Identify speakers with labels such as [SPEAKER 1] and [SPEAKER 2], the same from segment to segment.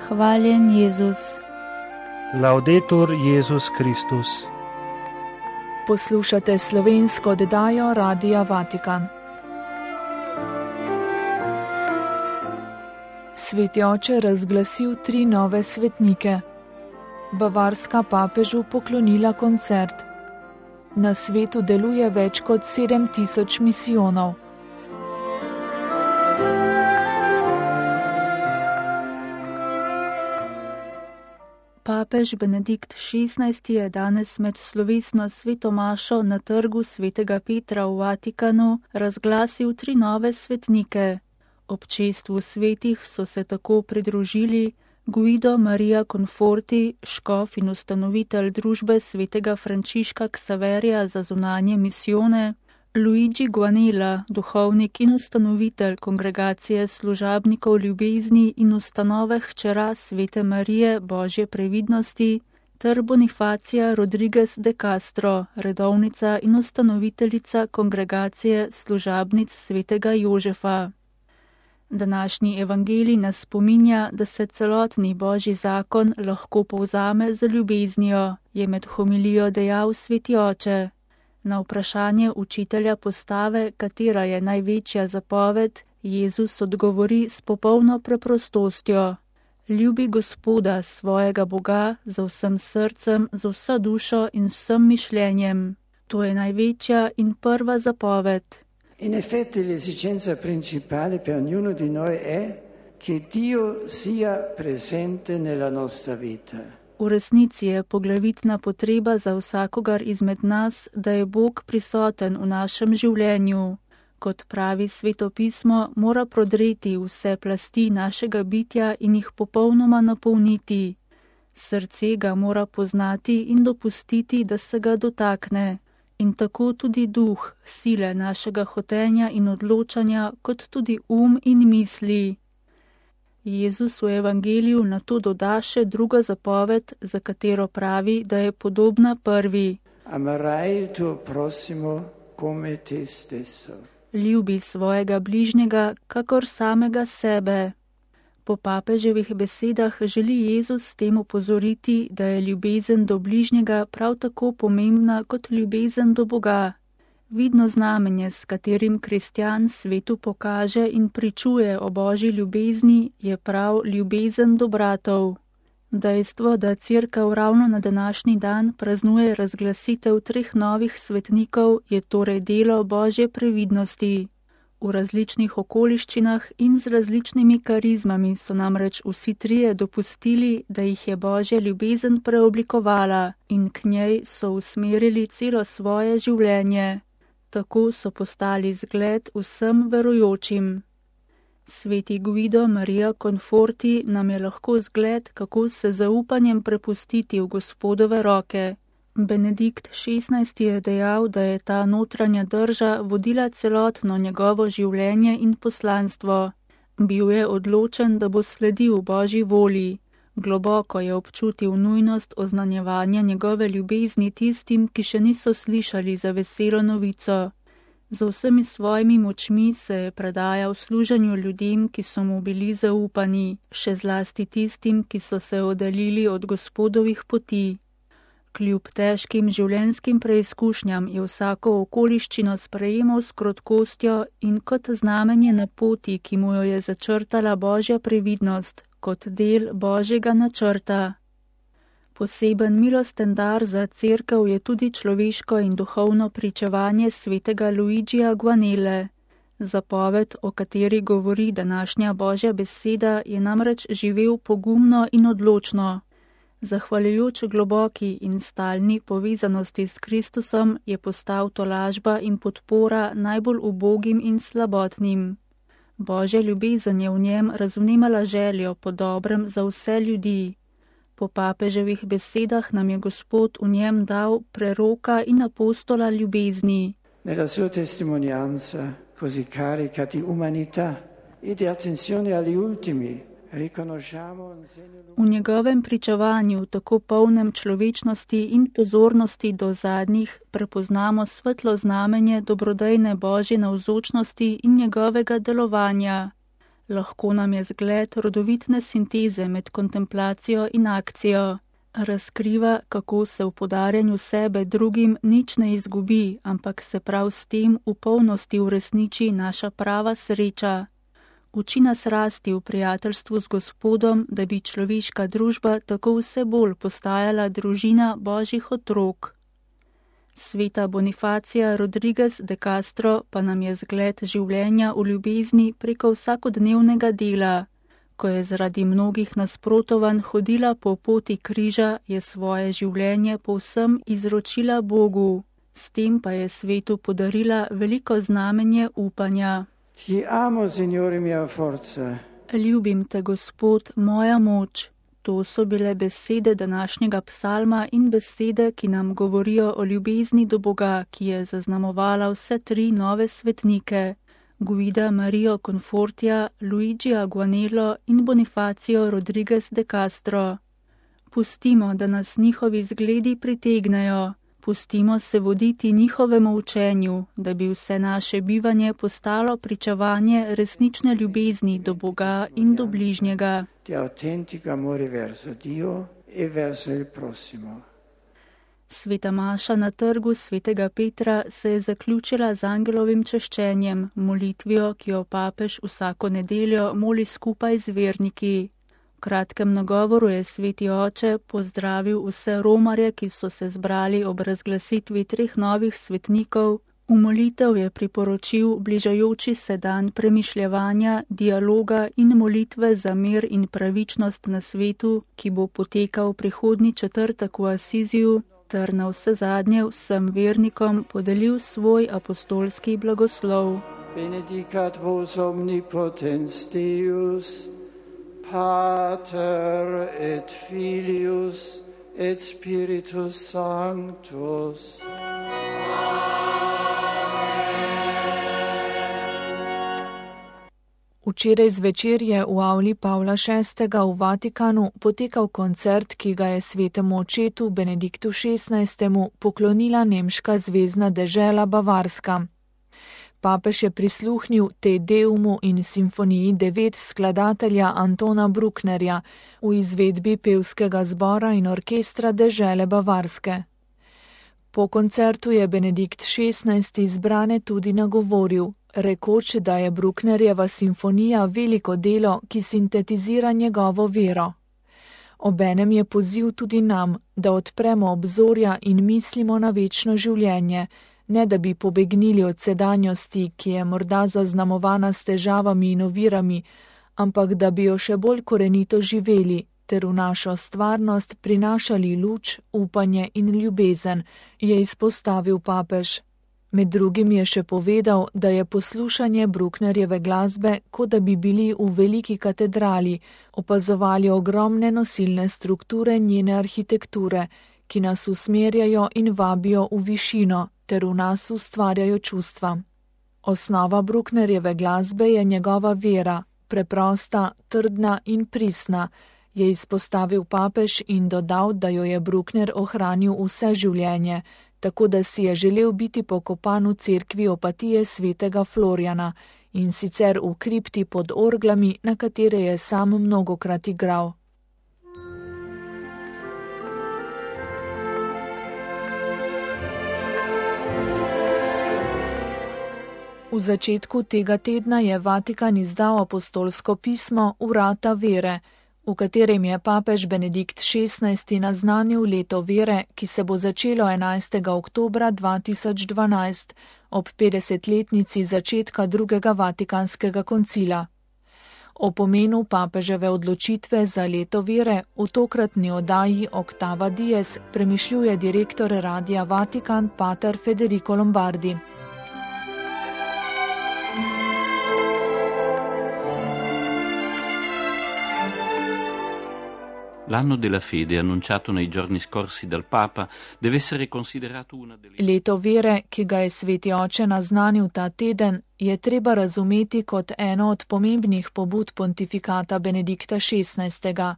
[SPEAKER 1] Hvaljen Jezus.
[SPEAKER 2] Laudetur Jezus Kristus.
[SPEAKER 3] Poslušate slovensko oddajo Radia Vatikan. Sveti oče razglasil 3 nove svetnike. Bavarska papežu poklonila koncert. Na svetu deluje več kot 7000 misijonov.
[SPEAKER 1] Papež Benedikt XVI je danes med slovesno sveto mašo na trgu svetega Petra v Vatikanu razglasil 3 nove svetnike. Občestvu svetih so se tako pridružili Guido Maria Conforti, škof in ustanovitelj družbe svetega Frančiška Ksaverija za zunanje misijone, Luigi Guanella, duhovnik in ustanovitelj kongregacije služabnikov ljubezni in ustanove hčera svete Marije Božje previdnosti, ter Bonifacija Rodriguez de Castro, redovnica in ustanoviteljica kongregacije služabnic svetega Jožefa. Današnji evangelij nas spominja, da se celotni Božji zakon lahko povzame z ljubeznijo, je med homilijo dejal sveti oče. Na vprašanje učitelja postave, katera je največja zapoved, Jezus odgovori s popolno preprostostjo. Ljubi Gospoda, svojega Boga, z vsem srcem, z vso dušo in vsem mišljenjem. To je največja in prva zapoved.
[SPEAKER 4] In effetti l'esigenza principale per ognuno di noi è che Dio sia presente nella nostra vita.
[SPEAKER 1] V resnici je poglavitna potreba za vsakogar izmed nas, da je Bog prisoten v našem življenju. Kot pravi Sveto pismo, mora prodreti vse plasti našega bitja in jih popolnoma napolniti. Srce ga mora poznati in dopustiti, da se ga dotakne. In tako tudi duh, sile našega hotenja in odločanja, kot tudi in misli. Jezus v evangeliju na to doda še drugo zapoved, za katero pravi, da je podobna prvi.
[SPEAKER 4] Amarai il tuo prossimo come te stesso.
[SPEAKER 1] Ljubi svojega bližnjega, kakor samega sebe. Po papeževih besedah želi Jezus s tem opozoriti, da je ljubezen do bližnjega prav tako pomembna kot ljubezen do Boga. Vidno znamenje, s katerim kristjan svetu pokaže in pričuje o Božji ljubezni, je prav ljubezen do bratov. Dejstvo, da Cerkev ravno na današnji dan praznuje razglasitev 3 novih svetnikov, je torej delo Božje previdnosti. V različnih okoliščinah in z različnimi karizmami so namreč vsi 3 dopustili, da jih je Božja ljubezen preoblikovala in k njej so usmerili celo svoje življenje. Tako so postali zgled vsem verujočim. Sveti Guido Maria Conforti nam je lahko zgled, kako se zaupanjem prepustiti v Gospodove roke. Benedikt XVI je dejal, da je ta notranja drža vodila celotno njegovo življenje in poslanstvo. Bil je odločen, da bo sledil Božji volji. Globoko je občutil nujnost oznanjevanja njegove ljubezni tistim, ki še niso slišali za veselo novico. Z vsemi svojimi močmi se je predajal služenju ljudem, ki so mu bili zaupani, še zlasti tistim, ki so se oddaljili od Gospodovih poti. Kljub težkim življenjskim preizkušnjam je vsako okoliščino sprejemal s krotkostjo in kot znamenje na poti, ki mu jo je začrtala Božja previdnost, kot del Božjega načrta. Poseben milosten dar za Cerkev je tudi človeško in duhovno pričevanje svetega Luigija Guanelle. Zapoved, o kateri govori današnja Božja beseda, je namreč živel pogumno in odločno. Zahvaljujoč globoki in stalni povezanosti s Kristusom je postal tolažba in podpora najbolj ubogim in slabotnim. Božja ljubezen je v njem razvnemala željo po dobrem za vse ljudi. Po papeževih besedah nam je Gospod v njem dal preroka in apostola ljubezni.
[SPEAKER 4] Nella sua testimonianza così carica di umanità e di attenzione agli ultimi,
[SPEAKER 1] v njegovem pričevanju, tako polnem človečnosti in pozornosti do zadnjih, prepoznamo svetlo znamenje dobrodejne Božje navzočnosti in njegovega delovanja. Lahko nam je zgled rodovitne sinteze med kontemplacijo in akcijo. Razkriva, kako se v podarjanju sebe drugim nič ne izgubi, ampak se prav s tem v polnosti uresniči naša prava sreča. Uči nas rasti v prijateljstvu z Gospodom, da bi človeška družba tako vse bolj postajala družina Božjih otrok. Sveta Bonifacija Rodriguez de Castro pa nam je zgled življenja v ljubezni preko vsakodnevnega dela. Ko je zaradi mnogih nasprotovanj hodila po poti križa, je svoje življenje povsem izročila Bogu. S tem pa je svetu podarila veliko znamenje upanja.
[SPEAKER 4] Ti amo, Signore, mia forza.
[SPEAKER 1] Ljubim te, Gospod, moja moč. To so bile besede današnjega psalma in besede, ki nam govorijo o ljubezni do Boga, ki je zaznamovala vse tri nove svetnike. Guida Mario Confortija, Luigi Aguanello in Bonifacio Rodriguez de Castro. Pustimo, da nas njihovi zgledi pritegnejo. Pustimo se voditi njihovemu učenju, da bi vse naše bivanje postalo pričevanje resnične ljubezni do Boga in do bližnjega. Sveta maša na trgu svetega Petra se je zaključila z angelovim češčenjem, molitvijo, ki jo papež vsako nedeljo moli skupaj z verniki. V kratkem nagovoru je sveti oče pozdravil vse romarje, ki so se zbrali ob razglasitvi treh novih svetnikov. V molitev je priporočil bližajoči se dan premišljevanja, dialoga in molitve za mir in pravičnost na svetu, ki bo potekal prihodnji četrtek v Asiziju, ter na vse zadnje vsem vernikom podelil svoj apostolski blagoslov.
[SPEAKER 4] Benedicat vos omnipotens Deus, Pater et Filius et Spiritus Sanctus.
[SPEAKER 3] Včeraj zvečer je v avli Pavla VI. V Vatikanu potekal koncert, ki ga je svetemu očetu Benediktu XVI. Poklonila nemška zvezna dežela Bavarska. Papež je prisluhnil Te Deumu in simfoniji 9 skladatelja Antona Brucknerja v izvedbi pevskega zbora in orkestra dežele Bavarske. Po koncertu je Benedikt XVI. Izbrane tudi nagovoril, rekoč, da je Brucknerjeva simfonija veliko delo, ki sintetizira njegovo vero. Obenem je poziv tudi nam, da odpremo obzorja in mislimo na večno življenje, ne da bi pobegnili od sedanjosti, ki je morda zaznamovana s težavami in ovirami, ampak da bi jo še bolj korenito živeli, ter v našo stvarnost prinašali luč, upanje in ljubezen, je izpostavil papež. Med drugim je še povedal, da je poslušanje Brucknerjeve glasbe, kot da bi bili v veliki katedrali, opazovali ogromne nosilne strukture njene arhitekture, ki nas usmerjajo in vabijo v višino, ter v nas ustvarjajo čustva. Osnova Brucknerjeve glasbe je njegova vera, preprosta, trdna in pristna, je izpostavil papež in dodal, da jo je Bruckner ohranil vse življenje, tako da si je želel biti pokopan v cerkvi Opatije svetega Florjana, in sicer v kripti pod orglami, na katere je sam mnogokrat igral. V začetku tega tedna je Vatikan izdal apostolsko pismo Vrata vere, v katerem je papež Benedikt XVI. Naznanil leto vere, ki se bo začelo 11. oktobra 2012 ob 50-letnici začetka drugega Vatikanskega koncila. O pomenu papeževe odločitve za leto vere v tokratni oddaji Octava Dies premišljuje direktor Radia Vatikan pater Federico Lombardi.
[SPEAKER 5] L'anno della fede, annunciato nei giorni scorsi dal Papa, deve essere considerato una delle...
[SPEAKER 3] Leto vere, ki ga je sveti oče naznanil ta teden, je treba razumeti kot eno od pomembnih pobud pontifikata Benedikta XVI.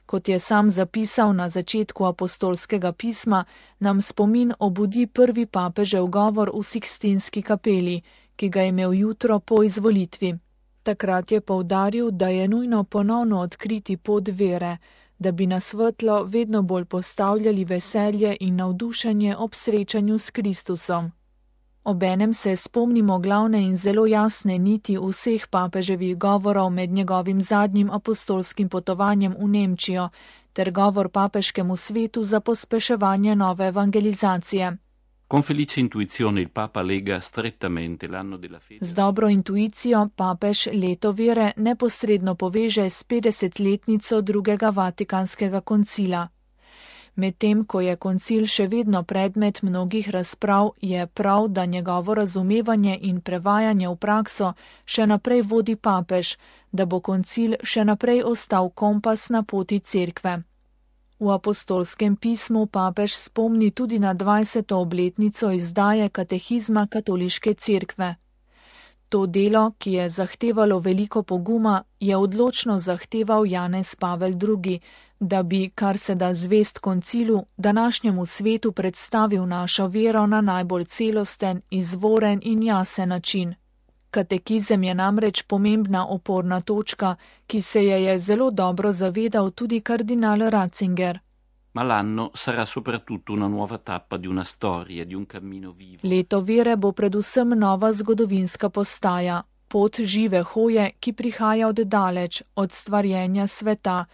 [SPEAKER 3] Kot je sam zapisal na začetku apostolskega pisma, nam spomin obudi prvi papežev govor v Sikstinski kapeli, ki ga je imel jutro po izvolitvi. Takrat je poudaril, da je nujno ponovno odkriti pot vere, da bi na svetlo vedno bolj postavljali veselje in navdušenje ob srečanju s Kristusom. Obenem se spomnimo glavne in zelo jasne niti vseh papeževih govorov med njegovim zadnjim apostolskim potovanjem v Nemčijo ter govor papeškemu svetu za pospeševanje nove evangelizacije.
[SPEAKER 5] Con felice intuizione il Papa lega strettamente l'anno della fede.
[SPEAKER 3] Z dobro intuicijo papež leto vere neposredno poveže s 50-letnico drugega Vatikanskega koncila. Medtem ko je koncil še vedno predmet mnogih razprav, je prav, da njegovo razumevanje in prevajanje v prakso še naprej vodi papež, da bo koncil še naprej ostal kompas na poti cerkve. V apostolskem pismu papež spomni tudi na 20. obletnico izdaje katehizma katoliške cerkve. To delo, ki je zahtevalo veliko poguma, je odločno zahteval Janez Pavel II., da bi, kar se da zvest koncilu, današnjemu svetu predstavil našo vero na najbolj celosten, izvoren in jasen način. Katekizem je namreč pomembna oporna točka, ki se je zelo dobro zavedal tudi kardinal Ratzinger.
[SPEAKER 5] Ma l'anno sarà soprattutto una nuova tappa di una storia, di un cammino vivo.
[SPEAKER 3] Leto vere bo predvsem nova zgodovinska postaja, pot žive hoje, ki prihaja od daleč, od stvarjenja sveta,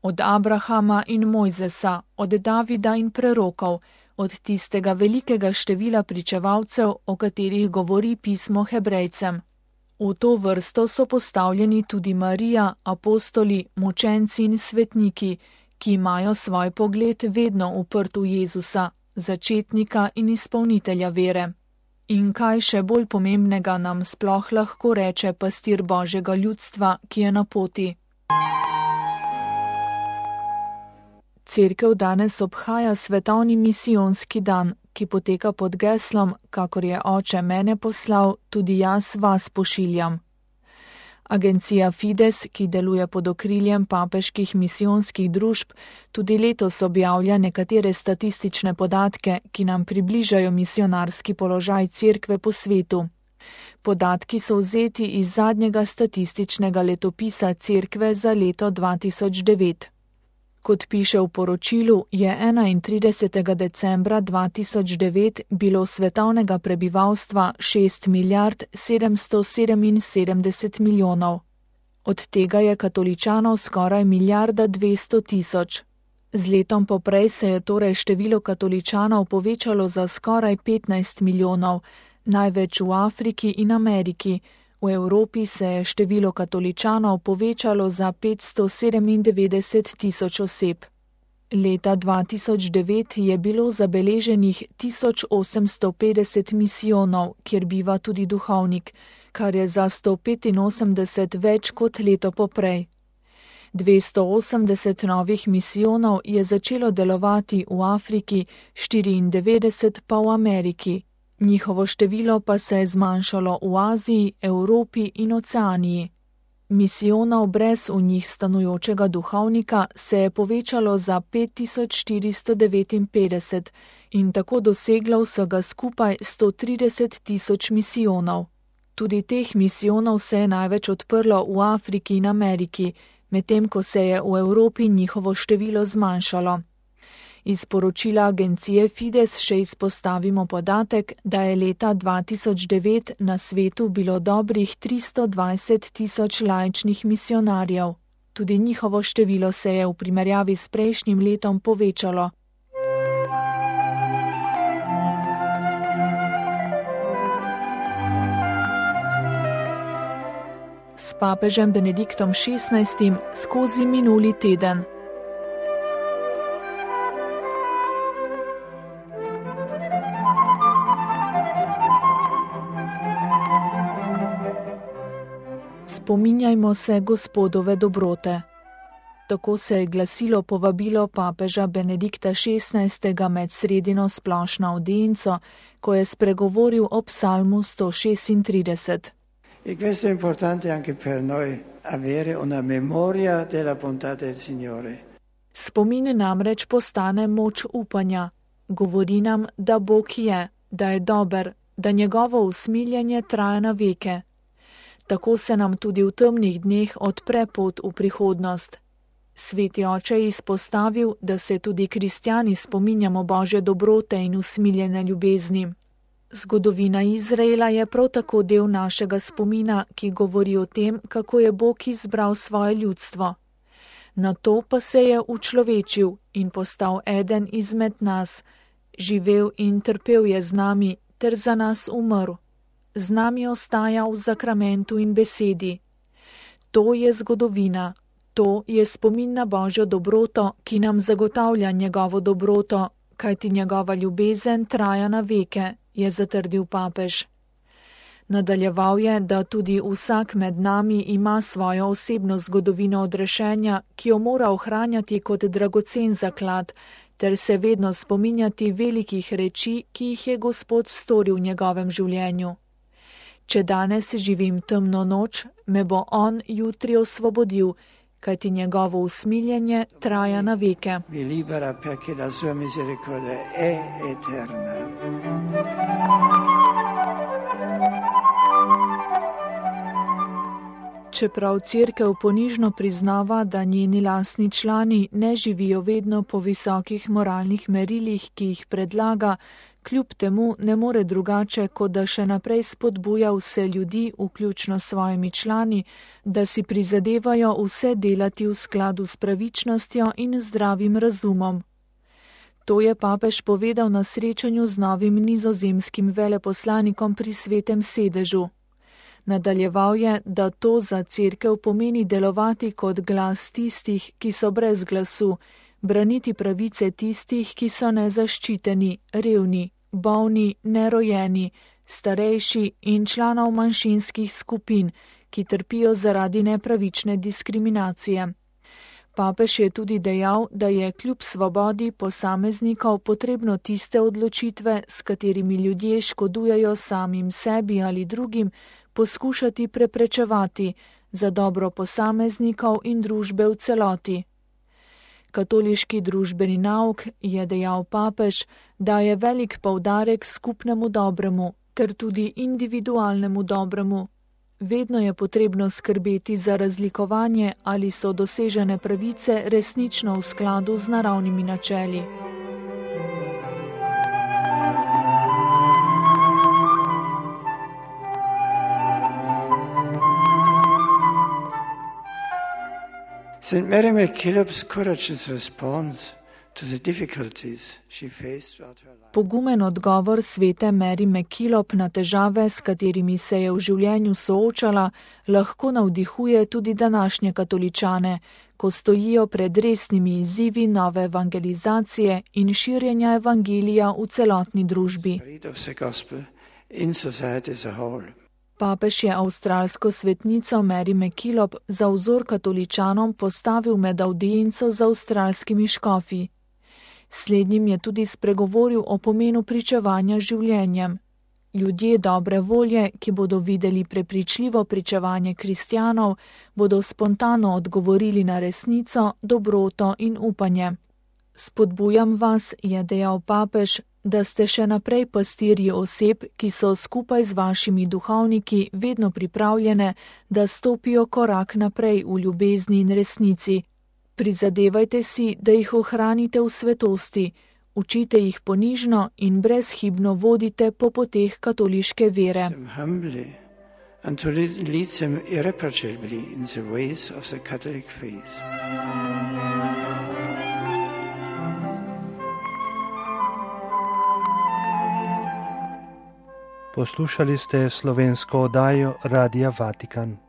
[SPEAKER 3] od Abrahama in Mojzesa, od Davida in prerokov, od tistega velikega števila pričevalcev, o katerih govori pismo Hebrejcem. V to vrsto so postavljeni tudi Marija, apostoli, mučenci in svetniki, ki imajo svoj pogled vedno uprt v Jezusa, začetnika in izpolnitelja vere. In kaj še bolj pomembnega nam sploh lahko reče pastir Božjega ljudstva, ki je na poti? Cerkev danes obhaja svetovni misijonski dan, ki poteka pod geslom, kakor je Oče mene poslal, tudi jaz vas pošiljam. Agencija Fides, ki deluje pod okriljem papeških misijonskih družb, tudi letos objavlja nekatere statistične podatke, ki nam približajo misionarski položaj cerkve po svetu. Podatki so vzeti iz zadnjega statističnega letopisa cerkve za leto 2009. Kot piše v poročilu, je 31. decembra 2009 bilo svetovnega prebivalstva 6 milijard 777 milijonov. Od tega je katoličanov skoraj 1 milijarda 200 tisoč. Z letom poprej se je torej število katoličanov povečalo za skoraj 15 milijonov, največ v Afriki in Ameriki. V Evropi se je število katoličanov povečalo za 597 tisoč oseb. Leta 2009 je bilo zabeleženih 1850 misijonov, kjer biva tudi duhovnik, kar je za 185 več kot leto poprej. 280 novih misijonov je začelo delovati v Afriki, 94 pa v Ameriki. Njihovo število pa se je zmanjšalo v Aziji, Evropi in Oceaniji. Misijonov brez v njih stanujočega duhovnika se je povečalo za 5459 in tako doseglo vsega skupaj 130 tisoč misijonov. Tudi teh misijonov se je največ odprlo v Afriki in Ameriki, medtem ko se je v Evropi njihovo število zmanjšalo. Iz poročila agencije Fides še izpostavimo podatek, da je leta 2009 na svetu bilo dobrih 320 tisoč laičnih misionarjev. Tudi njihovo število se je v primerjavi s prejšnjim letom povečalo. S papežem Benediktom XVI skozi minuli teden. Spominjajmo se Gospodove dobrote. Tako se je glasilo povabilo papeža Benedikta XVI. Med sredino splošno audienco, ko je spregovoril o psalmu 136.
[SPEAKER 4] E questo è importante anche per noi, avere una memoria della bontà del Signore.
[SPEAKER 3] Spomin namreč postane moč upanja. Govori nam, da Bog je, da je dober, da njegovo usmiljenje traja na veke. Tako se nam tudi v temnih dneh odpre pot v prihodnost. Sveti oče je izpostavil, da se tudi kristjani spominjamo Božje dobrote in usmiljene ljubezni. Zgodovina Izraela je prav tako del našega spomina, ki govori o tem, kako je Bog izbral svoje ljudstvo. Nato pa se je učlovečil in postal eden izmed nas, živel in trpel je z nami ter za nas umrl. Z nami ostaja v zakramentu in besedi. To je zgodovina, to je spomin na Božjo dobroto, ki nam zagotavlja njegovo dobroto, kajti njegova ljubezen traja na veke, je zatrdil papež. Nadaljeval je, da tudi vsak med nami ima svojo osebno zgodovino odrešenja, ki jo mora ohranjati kot dragocen zaklad, ter se vedno spominjati velikih reči, ki jih je Gospod storil v njegovem življenju. Če danes živim temno noč, me bo on jutri osvobodil, kajti njegovo usmiljenje traja na veke. Čeprav Cerkev ponižno priznava, da njeni lastni člani ne živijo vedno po visokih moralnih merilih, ki jih predlaga, kljub temu ne more drugače, kot da še naprej spodbuja vse ljudi, vključno s svojimi člani, da si prizadevajo vse delati v skladu s pravičnostjo in zdravim razumom. To je papež povedal na srečanju z novim nizozemskim veleposlanikom pri Svetem sedežu. Nadaljeval je, da to za Cerkev pomeni delovati kot glas tistih, ki so brez glasu, braniti pravice tistih, ki so nezaščiteni, revni, bolni, nerojeni, starejši in članov manjšinskih skupin, ki trpijo zaradi nepravične diskriminacije. Papež je tudi dejal, da je kljub svobodi posameznikov potrebno tiste odločitve, s katerimi ljudje škodujejo samim sebi ali drugim, poskušati preprečevati za dobro posameznikov in družbe v celoti. Katoliški družbeni nauk, je dejal papež, daje velik poudarek skupnemu dobremu ter tudi individualnemu dobremu. Vedno je potrebno skrbeti za razlikovanje, ali so dosežene pravice resnično v skladu z naravnimi načeli.
[SPEAKER 4] St. Mary MacKillop's courageous response to the difficulties she faced throughout her life.
[SPEAKER 3] Pogumen odgovor svete Mary MacKillop na težave, s katerimi se je v življenju soočala, lahko navdihuje tudi današnje katoličane, ko stojijo pred resnimi izzivi nove evangelizacije in širjenja evangelija v celotni družbi. Papež je avstralsko svetnico Mary MacKillop za vzor katoličanom postavil med avdienco z avstralskimi škofi. Slednjim je tudi spregovoril o pomenu pričevanja življenjem. Ljudje dobre volje, ki bodo videli prepričljivo pričevanje kristjanov, bodo spontano odgovorili na resnico, dobroto in upanje. Spodbujam vas, je dejal papež, da ste še naprej pastirji oseb, ki so skupaj z vašimi duhovniki vedno pripravljene, da stopijo korak naprej v ljubezni in resnici. Prizadevajte si, da jih ohranite v svetosti, učite jih ponižno in brezhibno vodite po poteh katoliške vere.
[SPEAKER 2] Poslušali ste slovensko oddajo Radia Vatikan.